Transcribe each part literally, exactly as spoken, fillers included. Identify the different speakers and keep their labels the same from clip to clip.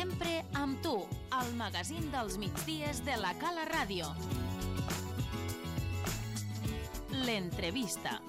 Speaker 1: Sempre amb tu, al magazín dels migdies de la Cala Ràdio. L'entrevista.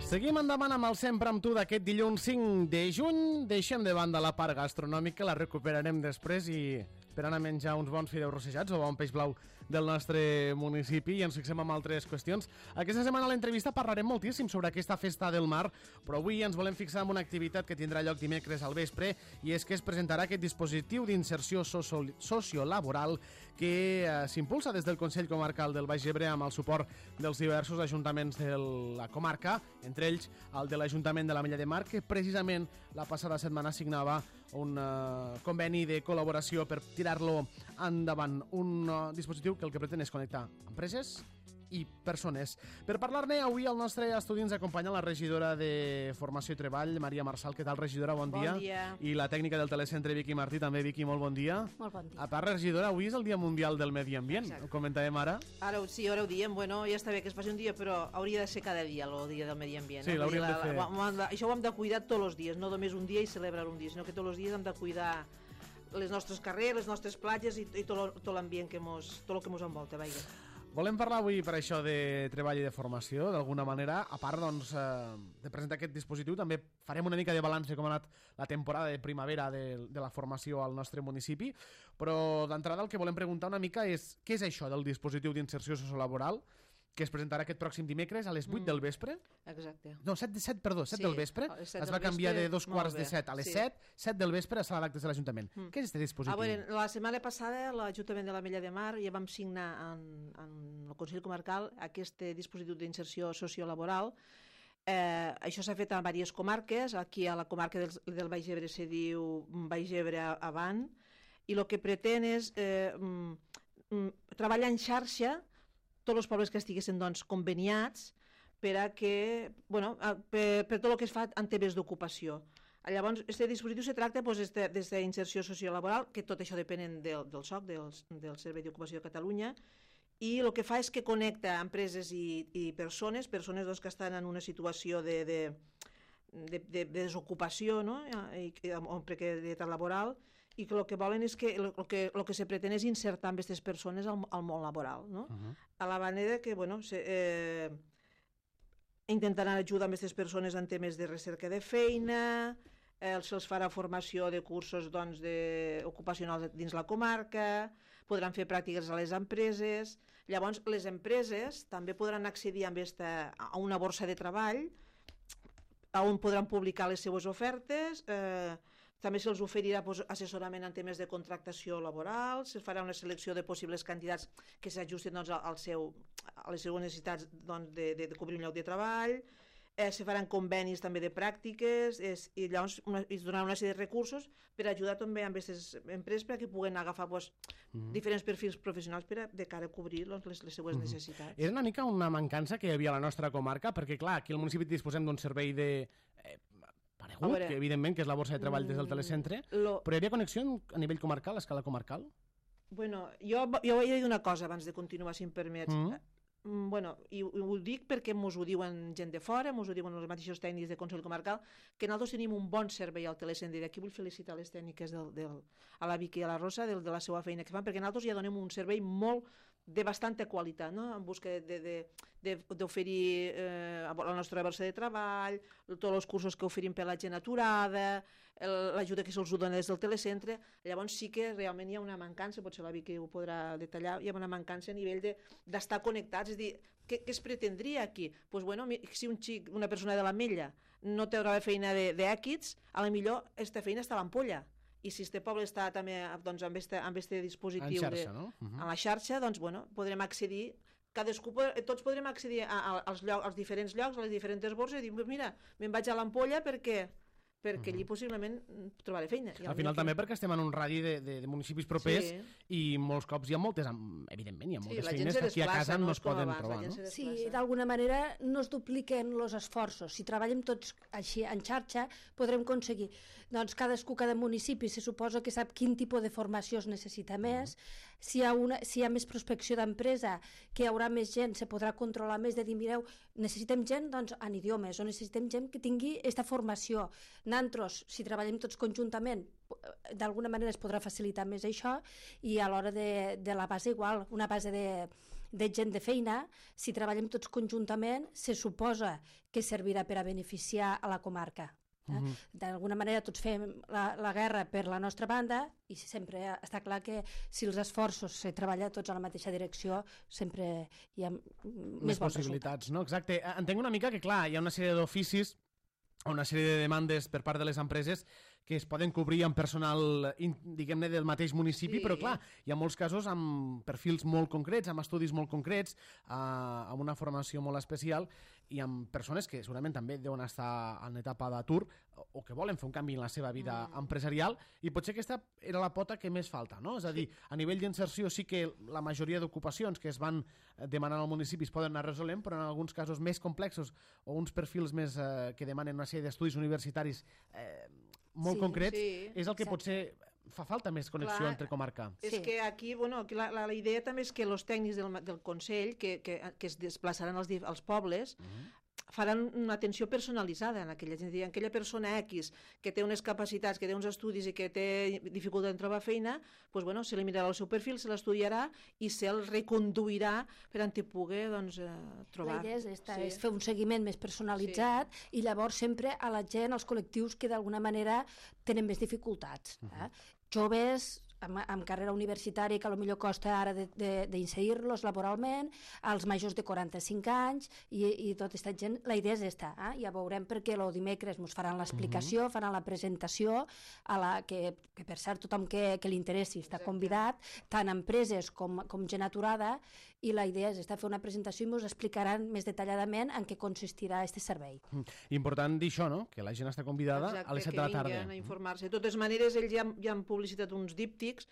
Speaker 2: Seguim endavant amb el Sempre amb tu d'aquest dilluns cinc de juny. Deixem de banda la part gastronòmica, la recuperarem després i per anar a menjar uns bons fideus rossejats o bon peix blau del nostre municipi i ens fixem en altres qüestions. Aquesta setmana a l'entrevista parlarem moltíssim sobre aquesta festa del mar, però avui ens volem fixar en una activitat que tindrà lloc dimecres al vespre i és que es presentarà aquest dispositiu d'inserció sociolaboral que eh, s'impulsa des del Consell Comarcal del Baix Ebre amb el suport dels diversos ajuntaments de la comarca, entre ells el de l'Ajuntament de l'Ametlla de Mar, que precisament la passada setmana signava un uh, conveni de col·laboració per tirar-lo endavant, un uh, dispositiu que el que pretén és connectar empreses i persones. Per parlar-ne, avui al nostre estudi ens acompanya la regidora de Formació i Treball, Maria Marçal. Què tal, regidora? Bon,
Speaker 3: bon
Speaker 2: dia.
Speaker 3: dia.
Speaker 2: I la tècnica del telecentre, Vicky Martí, també. Vicky, molt bon dia.
Speaker 3: Molt bon dia.
Speaker 2: A part, regidora, avui és el Dia Mundial del Medi Ambient.
Speaker 3: Exacte.
Speaker 2: Ho comentàvem ara.
Speaker 4: Ara sí, ara ho diem, bueno, ja està bé que es faci un dia, però hauria de ser cada dia el dia del medi ambient.
Speaker 2: Sí,
Speaker 4: no?
Speaker 2: l'hauríem de fer.
Speaker 4: La, la, la, això ho hem de cuidar tots els dies, no només un dia i celebrar un dia, sinó que tots els dies hem de cuidar les nostres carrers, les nostres platges i, i tot, tot l'ambient que mos, tot el que ens envolta, vaja.
Speaker 2: Volem parlar avui per això de treball i de formació, d'alguna manera. A part, doncs, eh, de presentar aquest dispositiu, també farem una mica de balanç de com ha anat la temporada de primavera de, de la formació al nostre municipi, però d'entrada el que volem preguntar una mica és què és això del dispositiu d'inserció sociolaboral que es presentarà aquest pròxim dimecres a les vuit mm. del vespre.
Speaker 4: Exacte.
Speaker 2: No, set, set, perdó, set sí, del vespre.
Speaker 4: set
Speaker 2: es va canviar
Speaker 4: vespre,
Speaker 2: de dos quarts de set a les sí. set, set del vespre a sala d'actes de l'Ajuntament. Mm. Què és aquest dispositiu?
Speaker 4: Ah, bueno, la setmana passada l'Ajuntament de l'Ametlla de Mar ja vam signar en, en el Consell Comarcal aquest dispositiu d'inserció sociolaboral. Eh, això s'ha fet a diverses comarques. Aquí a la comarca del, del Baix Ebre se diu Baix Ebre Avant, i el que pretén és eh, mm, treballar en xarxa tots els pobles que estiguessin doncs, conveniats per a que, bueno, per, per tot el que es fa en temes d'ocupació. Llavors, aquest dispositiu se tracta doncs, des d'inserció sociolaboral, que tot això depèn del, del S O C, del, del Servei d'Ocupació de Catalunya, i el que fa és que connecta empreses i, i persones, persones doncs, que estan en una situació de, de, de, de, de desocupació, no? I, o precarietat laboral, i que el que volen és que el que, el que se pretén és insertar amb aquestes persones al, al món laboral, no? Uh-huh. A la manera que, bueno, se, eh, intentaran ajudar amb aquestes persones en temes de recerca de feina, eh, se'ls farà formació de cursos doncs, de, ocupacionals dins la comarca, podran fer pràctiques a les empreses. Llavors, les empreses també podran accedir amb esta, a una borsa de treball on podran publicar les seues ofertes, eh, també se'ls oferirà pues, assessorament en temes de contractació laboral, se farà una selecció de possibles candidats que s'ajusten doncs, al seu, a les seues necessitats doncs, de, de, de cobrir un lloc de treball, eh, se faran convenis també de pràctiques és, i llavors una, es donaran una sèrie de recursos per ajudar també amb aquestes empreses perquè puguen agafar pues, mm-hmm. diferents perfils professionals per a, de cara a cobrir doncs, les, les seues mm-hmm. necessitats.
Speaker 2: És una mica una mancança que hi havia a la nostra comarca, perquè clar, aquí al municipi disposem d'un servei de... Eh, paregut, veure, que evidentment que és la borsa de treball des del telecentre, lo... però hi havia connexió a nivell comarcal, a escala comarcal?
Speaker 4: Bueno, jo, jo he de dir una cosa abans de continuar, si em permets. Mm. Bueno, i ho dic perquè mos ho diuen gent de fora, mos ho diuen els mateixos tècnics de Consell Comarcal, que nosaltres tenim un bon servei al telecentre, i d'aquí vull felicitar les tècniques del, del, a la Vicky i a la Rosa del, de la seva feina que fan, perquè nosaltres ja donem un servei molt de bastanta qualitat, no? En busca d'oferir eh, la nostra borsa de treball, tots els cursos que oferim per la gent aturada, l'ajuda que se'ls dona des del telecentre. Llavors sí que realment hi ha una mancança, potser la Vicky ho podrà detallar, hi ha una mancança a nivell d'estar de, connectats, és a dir, què, què es pretendria aquí? Pues bueno, si un xic, una persona de l'Ametlla no té una feina d'èquits, a la millor aquesta feina està a l'Ampolla. I si este poble està també doncs, amb aquest dispositiu
Speaker 2: en xarxa,
Speaker 4: de,
Speaker 2: no? Uh-huh.
Speaker 4: a la xarxa, doncs bueno, podrem accedir, cadascú, tots podrem accedir a, a, als, lloc, als diferents llocs, a les diferents borses i dir, mira, me'n vaig a l'Ampolla perquè perquè allí possiblement trobaré feina.
Speaker 2: Al final també perquè estem en un radi de, de, de municipis propers sí. i molts cops hi ha moltes, evidentment, hi ha moltes sí, feines que aquí a casa no, no es poden abans, trobar. No?
Speaker 3: Sí, d'alguna manera no es dupliquen els esforços. Si treballem tots així en xarxa, podrem aconseguir. Doncs cadascú, cada municipi, se suposa que sap quin tipus de formació es necessita més. si hi ha, una, si hi ha més prospecció d'empresa, que hi haurà més gent, se podrà controlar més de dir, mireu, necessitem gent doncs, en idiomes, o necessitem gent que tingui aquesta formació. Nosaltres, si treballem tots conjuntament, d'alguna manera es podrà facilitar més això, i a l'hora de, de la base igual, una base de, de gent de feina, si treballem tots conjuntament, se suposa que servirà per a beneficiar a la comarca. Eh? Uh-huh. D'alguna manera tots fem la, la guerra per la nostra banda i sempre està clar que si els esforços se treballen tots a la mateixa direcció sempre hi ha més, més
Speaker 2: possibilitats,
Speaker 3: resultat.
Speaker 2: No? Exacte. Entenc una mica que, clar, hi ha una sèrie d'oficis, una sèrie de demandes per part de les empreses que es poden cobrir amb personal, diguem-ne, del mateix municipi, sí. Però clar, hi ha molts casos amb perfils molt concrets, amb estudis molt concrets, eh, amb una formació molt especial i amb persones que segurament també deuen estar en etapa d'atur o que volen fer un canvi en la seva vida mm. empresarial, i potser aquesta era la pota que més falta, no? És a dir, a nivell d'inserció sí que la majoria d'ocupacions que es van demanar al municipi es poden anar resolent, però en alguns casos més complexos o uns perfils més eh, que demanen una sèrie d'estudis universitaris eh, molt sí, concrets, sí, és el que exacte. Potser fa falta més connexió Clar, entre comarca.
Speaker 4: És sí. que aquí, bueno, aquí la, la, la idea també és que els tècnics del, del Consell, que, que, que es desplaçaran als, als pobles, uh-huh. faran una atenció personalitzada en aquella gent. Aquella persona X que té unes capacitats, que té uns estudis i que té dificultat en trobar feina, doncs, bueno, se li mirarà el seu perfil, se l'estudiarà i se'l reconduirà per on te pugui doncs, eh, trobar.
Speaker 3: La idea és, esta, sí. és fer un seguiment més personalitzat sí. i llavors sempre a la gent, als col·lectius que d'alguna manera tenen més dificultats. Eh? Uh-huh. Joves amb, amb carrera universitària que potser costa ara d'inserir-los laboralment, als majors de quaranta-cinc anys i, i tota aquesta gent. La idea és esta, eh? Ja veurem perquè el dimecres ens faran l'explicació, uh-huh. faran la presentació, a la que, que per cert tothom que, que li interessi està Exacte. Convidat, tant empreses com, com gent aturada, i la idea és esta, fer una presentació i ens explicaran més detalladament en què consistirà aquest servei.
Speaker 2: Mm. Important dir això, no? Que la gent està convidada Exacte, a les set de la tarda.
Speaker 4: Que vinguin a informar-se. De totes maneres, ells ja, ja han publicitat uns díptics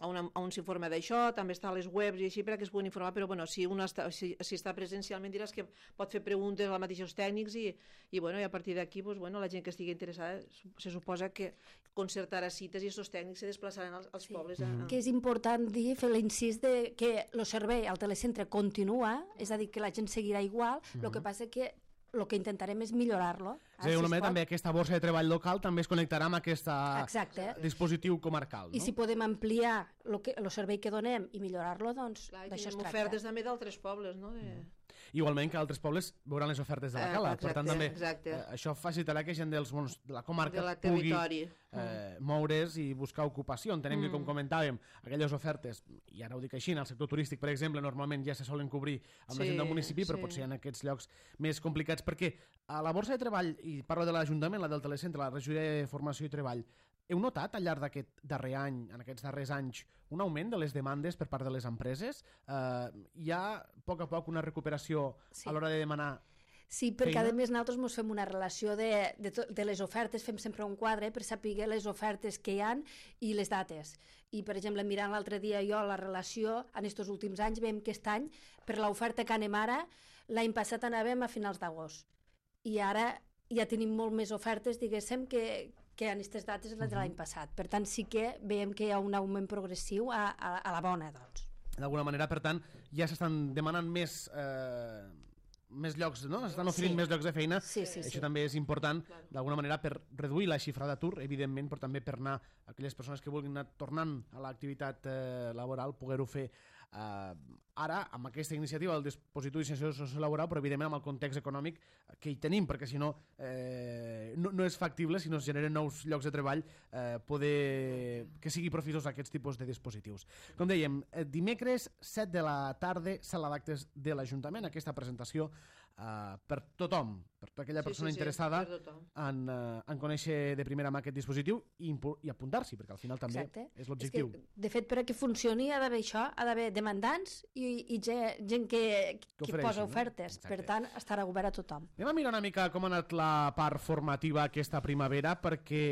Speaker 4: on, on s'informa d'això, també està a les webs i així per a que es puguin informar, però bueno, si un està, si, si està presencialment diràs que pot fer preguntes als mateixos tècnics i, i, bueno, i a partir d'aquí pues, bueno, la gent que estigui interessada se suposa que concertarà cites i aquests tècnics se desplaçaran als, als sí. pobles. A, a...
Speaker 3: Que és important dir, fer l'incís de que el servei al telecentre continua, és a dir, que la gent seguirà igual, el uh-huh. que passa que el que intentarem és millorar-lo.
Speaker 2: Sí, si una si també aquesta borsa de treball local també es connectarà amb aquest dispositiu comarcal. No?
Speaker 3: I si podem ampliar el servei que donem i millorar-lo, doncs d'això es tracta.
Speaker 4: Ofertes també d'altres pobles, no? De...
Speaker 2: Igualment que altres pobles veuran les ofertes de la Cala.
Speaker 4: Exacte,
Speaker 2: per tant, també
Speaker 4: exacte.
Speaker 2: Eh, això facilitarà que gent dels mons de la comarca
Speaker 4: de la
Speaker 2: pugui
Speaker 4: eh,
Speaker 2: moure's i buscar ocupació. Entenem mm. que, com comentàvem, aquelles ofertes, i ara ho dic així, en el sector turístic, per exemple, normalment ja se solen cobrir amb sí, la gent del municipi, però sí. potser en aquests llocs més complicats, perquè a la borsa de treball, i parlo de l'Ajuntament, la del Telecentre, la regidoria de Formació i Treball, heu notat al llarg d'aquest darrer any, en aquests darrers anys, un augment de les demandes per part de les empreses? Eh, hi ha, a poc a poc, una recuperació sí. a l'hora de demanar
Speaker 3: Sí, perquè feina? A més nosaltres ens fem una relació de, de, to, de les ofertes, fem sempre un quadre per saber les ofertes que hi ha i les dates. I, per exemple, mirant l'altre dia jo la relació, en aquests últims anys, veiem que aquest any, per l'oferta que anem ara, l'any passat anàvem a finals d'agost. I ara ja tenim molt més ofertes, diguéssim, que, que en aquestes dates de l'any passat. Per tant, sí que veiem que hi ha un augment progressiu a, a, a la bona, doncs.
Speaker 2: D'alguna manera, per tant, ja s'estan demanant més... Eh... més llocs, no? S'estan oferint sí. més llocs de feina.
Speaker 3: Sí, sí,
Speaker 2: Això
Speaker 3: sí.
Speaker 2: també és important, d'alguna manera, per reduir la xifra d'atur, evidentment, però també per anar aquelles persones que vulguin anar tornant a l'activitat eh, laboral, poder-ho fer eh, ara, amb aquesta iniciativa del dispositiu d'iniciació sociolaboral, però evidentment amb el context econòmic que hi tenim, perquè si no, eh, no, no és factible, si no es generen nous llocs de treball, eh, poder que sigui profitós aquests tipus de dispositius. Com dèiem, dimecres, set de la tarda, sala d'actes de l'Ajuntament, aquesta presentació Uh, per tothom, per tota aquella persona
Speaker 4: sí, sí, sí,
Speaker 2: interessada en, uh, en conèixer de primera mà aquest dispositiu i, i apuntar-s'hi, perquè al final també Exacte. És l'objectiu.
Speaker 3: És que, de fet, per a que funcioni ha d'haver això, ha d'haver demandants i, i gent, gent que, que, que posa ofertes. No? Per tant, estarà obert a tothom.
Speaker 2: Anem a mirar una mica com ha anat la part formativa aquesta primavera, perquè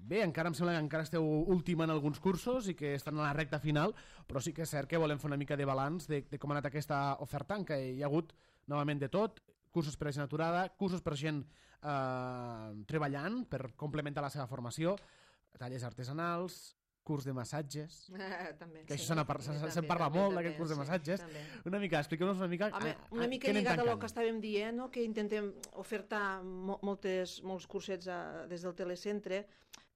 Speaker 2: bé, encara em sembla que encara esteu última en alguns cursos i que estan a la recta final, però sí que és cert que volem fer una mica de balanç de, de com ha anat aquesta oferta, en què hi ha hagut novament de tot, cursos per a gent aturada, cursos per a gent eh, treballant, per complementar la seva formació, talles artesanals, curs de massatges,
Speaker 4: Ah, també.
Speaker 2: que
Speaker 4: sí,
Speaker 2: això se'n par
Speaker 4: sí,
Speaker 2: se,
Speaker 4: també,
Speaker 2: se'n parla
Speaker 4: també,
Speaker 2: molt,
Speaker 4: també,
Speaker 2: d'aquest curs de
Speaker 4: sí,
Speaker 2: massatges.
Speaker 4: també.
Speaker 2: Una mica, expliqueu-nos una mica...
Speaker 4: Home,
Speaker 2: a-
Speaker 4: una
Speaker 2: a-
Speaker 4: mica
Speaker 2: què anem
Speaker 4: lligat a el
Speaker 2: tancant?
Speaker 4: que estàvem dient, no? Que intentem ofertar mo moltes, molts cursets a, des del telecentre,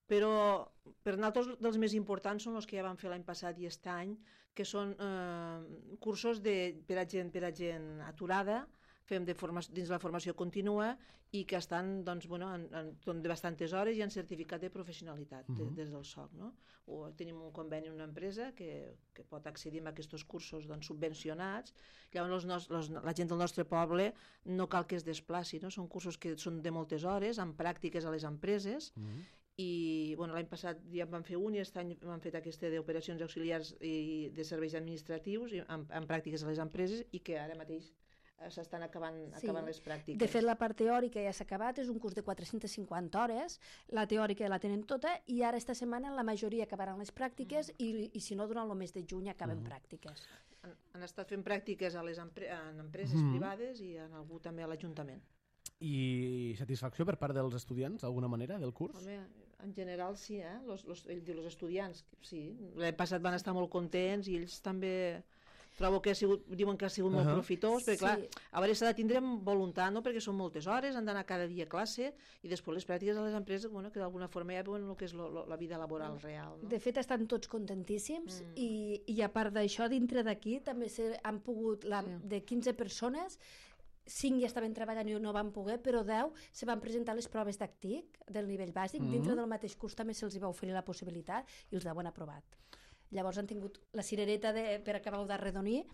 Speaker 4: però per nosaltres dels més importants són els que ja vam fer l'any passat i aquest any, que són eh, cursos de, per, a gent, per a gent aturada, fem de forma, dins la formació contínua i que estan doncs, bueno, en, en, en de bastantes hores i han certificat de professionalitat de, des del S O C. No? O tenim un conveni amb una empresa que, que pot accedir a aquests cursos doncs, subvencionats. Llavors los, los, la gent del nostre poble no cal que es desplaci, no? Són cursos que són de moltes hores, amb pràctiques a les empreses,
Speaker 2: Mhm.
Speaker 4: i bueno, l'any passat ja en vam fer un i aquest any vam fet aquesta d'operacions auxiliars i de serveis administratius i amb, amb pràctiques a les empreses i que ara mateix eh, s'estan acabant,
Speaker 3: Sí.
Speaker 4: acabant les pràctiques.
Speaker 3: De fet, la part teòrica ja s'ha acabat, és un curs de quatre-centes cinquanta hores, la teòrica la tenen tota i ara esta setmana la majoria acabaran les pràctiques mm. i, i si no, durant el mes de juny acaben mm. pràctiques.
Speaker 4: Han, han estat fent pràctiques a les empre en empreses
Speaker 2: Mhm.
Speaker 4: privades i en algú també a l'Ajuntament.
Speaker 2: I satisfacció per part dels estudiants, d'alguna manera, del curs?
Speaker 4: Home, en general sí, eh? Los, los, ell diu, els estudiants, sí. L'any passat van estar molt contents i ells també trobo que ha sigut, diuen que ha sigut molt
Speaker 2: Uh-huh.
Speaker 4: profitós, perquè
Speaker 3: Sí.
Speaker 4: clar, a veure, s'ha de tindre voluntat, no? Perquè són moltes hores, han d'anar cada dia a classe i després les pràctiques a les empreses, bueno, que d'alguna forma ja veuen el que és lo, lo, la vida laboral real. No?
Speaker 3: De fet, estan tots contentíssims
Speaker 4: Mm.
Speaker 3: i, i a part d'això, dintre d'aquí també se, han pogut, la,
Speaker 4: Sí.
Speaker 3: de quinze persones, cinc ja estaven treballant i no van poder, però deu se van presentar les proves d'actic del nivell bàsic.
Speaker 2: Mhm.
Speaker 3: Dintre del mateix curs també se'ls va oferir la possibilitat i els deu han aprovat. Llavors han tingut la cirereta de, per acabar d'arredonir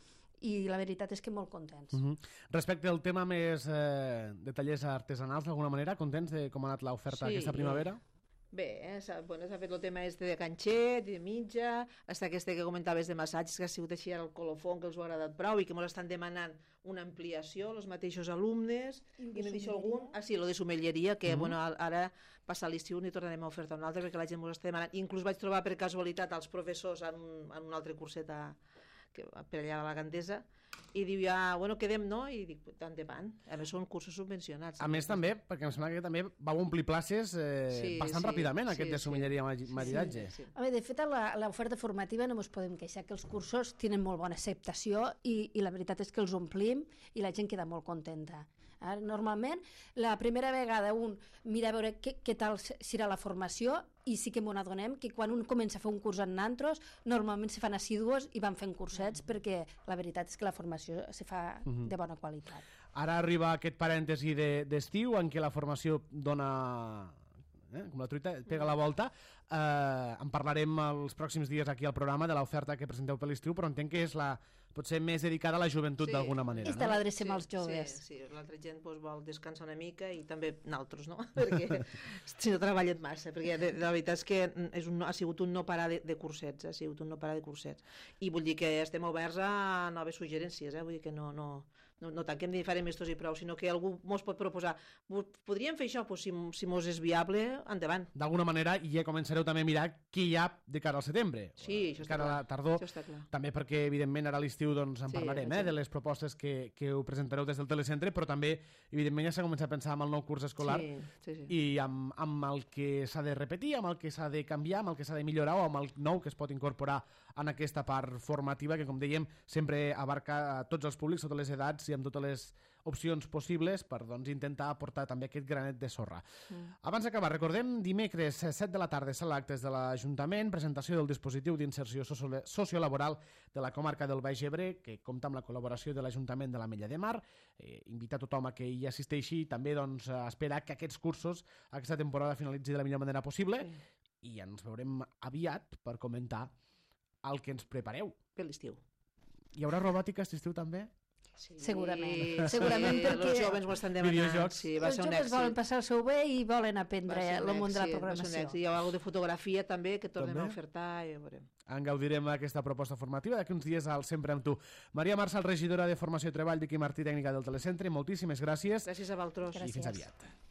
Speaker 3: i la veritat és que molt contents.
Speaker 2: Uh -huh. Respecte al tema més eh, de tallers artesanals, d'alguna manera, contents de com ha anat l'oferta
Speaker 4: Sí,
Speaker 2: aquesta primavera?
Speaker 4: Bé, eh, s'ha bueno, fet el tema este de ganxet, de mitja, hasta este que comentaves de massatges, que ha sigut així ara el colofon, que els ho ha agradat prou i que ens estan demanant una ampliació, els mateixos alumnes,
Speaker 3: I
Speaker 4: i
Speaker 3: de
Speaker 4: n'he dit
Speaker 3: somelleria?
Speaker 4: algun, ah sí, lo de somelleria, que
Speaker 2: Mhm.
Speaker 4: bueno, ara passa l'estiu i tornarem a ofertar un altre perquè la gent ens està demanant. Inclús vaig trobar per casualitat als professors en un, en un altre curset a, que, per allà a la Gandesa, i diu ja, bueno, quedem, no? I dic, tant de van. A més, són cursos subvencionats.
Speaker 2: A més, també, perquè em sembla que també vau omplir places eh,
Speaker 4: Sí,
Speaker 2: bastant
Speaker 4: sí,
Speaker 2: ràpidament,
Speaker 4: sí,
Speaker 2: aquest de
Speaker 4: sí.
Speaker 2: sommelleria i maridatge.
Speaker 4: Sí, sí.
Speaker 3: A veure, de fet, a la- a l'oferta formativa no ens podem queixar que els cursos tenen molt bona acceptació i, i la veritat és que els omplim i la gent queda molt contenta. Ara, normalment, la primera vegada un mira a veure què, què tal serà la formació i sí que m'ho adonem que quan un comença a fer un curs en nantros, normalment se fan assidus i van fent cursets perquè la veritat és que la formació se fa de bona qualitat.
Speaker 2: Ara arriba aquest parèntesi de- d'estiu en què la formació dona... Eh, com la truita, pega la volta. Eh, en parlarem els pròxims dies aquí al programa de l'oferta que presenteu per l'estiu, però entenc que és la potser més dedicada a la joventut
Speaker 4: Sí.
Speaker 2: d'alguna manera.
Speaker 3: Esta
Speaker 2: No?
Speaker 3: l'adrecem als joves.
Speaker 4: Sí, sí. L'altra gent doncs, vol descansar una mica i també naltros, no? Perquè si no treballen massa, perquè de, de la veritat és que és un, ha sigut un no parar de, de cursets, ha sigut un no parar de cursets. I vull dir que estem oberts a noves suggerències, eh? Vull dir que no, no, no, no tanquem ni farem estos i prou, sinó que algú mos pot proposar, podríem fer això? Pues si, si mos és viable, endavant.
Speaker 2: D'alguna manera, i ja començareu també a mirar què hi ha de cara al setembre.
Speaker 4: Sí, això està
Speaker 2: cara a
Speaker 4: clar.
Speaker 2: la tardor.
Speaker 4: Això està clar.
Speaker 2: També perquè, evidentment, ara a l'estiu doncs, en
Speaker 4: Sí,
Speaker 2: parlarem
Speaker 4: això.
Speaker 2: eh, de les propostes que, que ho presentareu des del telecentre, però també, evidentment, ja s'ha començat a pensar en el nou curs escolar
Speaker 4: Sí, sí, sí.
Speaker 2: i amb, amb el que s'ha de repetir, amb el que s'ha de canviar, amb el que s'ha de millorar o amb el nou que es pot incorporar en aquesta part formativa que, com dèiem, sempre abarca a tots els públics, totes les edats i amb totes les opcions possibles per doncs, intentar aportar també aquest granet de sorra. Mm. Abans d'acabar, recordem, dimecres set de la tarda serà l'actes de l'Ajuntament, presentació del dispositiu d'inserció socio sociolaboral de la comarca del Baix Ebre, que compta amb la col·laboració de l'Ajuntament de l'Ametlla de Mar. Eh, invita tothom a que hi assisteixi i també doncs, a esperar que aquests cursos, aquesta temporada, finalitzi de la millor manera possible
Speaker 4: Sí.
Speaker 2: i ens veurem aviat per comentar el que ens prepareu.
Speaker 4: Per l'estiu.
Speaker 2: Hi haurà robòtica aquest estiu també?
Speaker 4: Sí,
Speaker 3: Segurament.
Speaker 4: sí,
Speaker 3: Segurament perquè-
Speaker 4: els joves m'ho estan demanant.
Speaker 2: Videojocs.
Speaker 4: Sí, va
Speaker 3: Els
Speaker 4: ser un
Speaker 3: joves
Speaker 4: èxit.
Speaker 3: volen passar el seu bé i volen
Speaker 4: Va
Speaker 3: aprendre
Speaker 4: ser un
Speaker 3: el món de la
Speaker 4: èxit, va ser un
Speaker 3: programació.
Speaker 4: èxit. Hi ha alguna de fotografia també que tornem
Speaker 2: També?
Speaker 4: a ofertar i ja veurem.
Speaker 2: En gaudirem d'aquesta proposta formativa d'aquí uns dies al Sempre amb tu. Maria Marçal, regidora de Formació i Treball, Vicky Martí, tècnica del Telecentre, moltíssimes gràcies
Speaker 4: Gràcies a vosaltres.
Speaker 2: i fins
Speaker 3: Gràcies.
Speaker 2: aviat.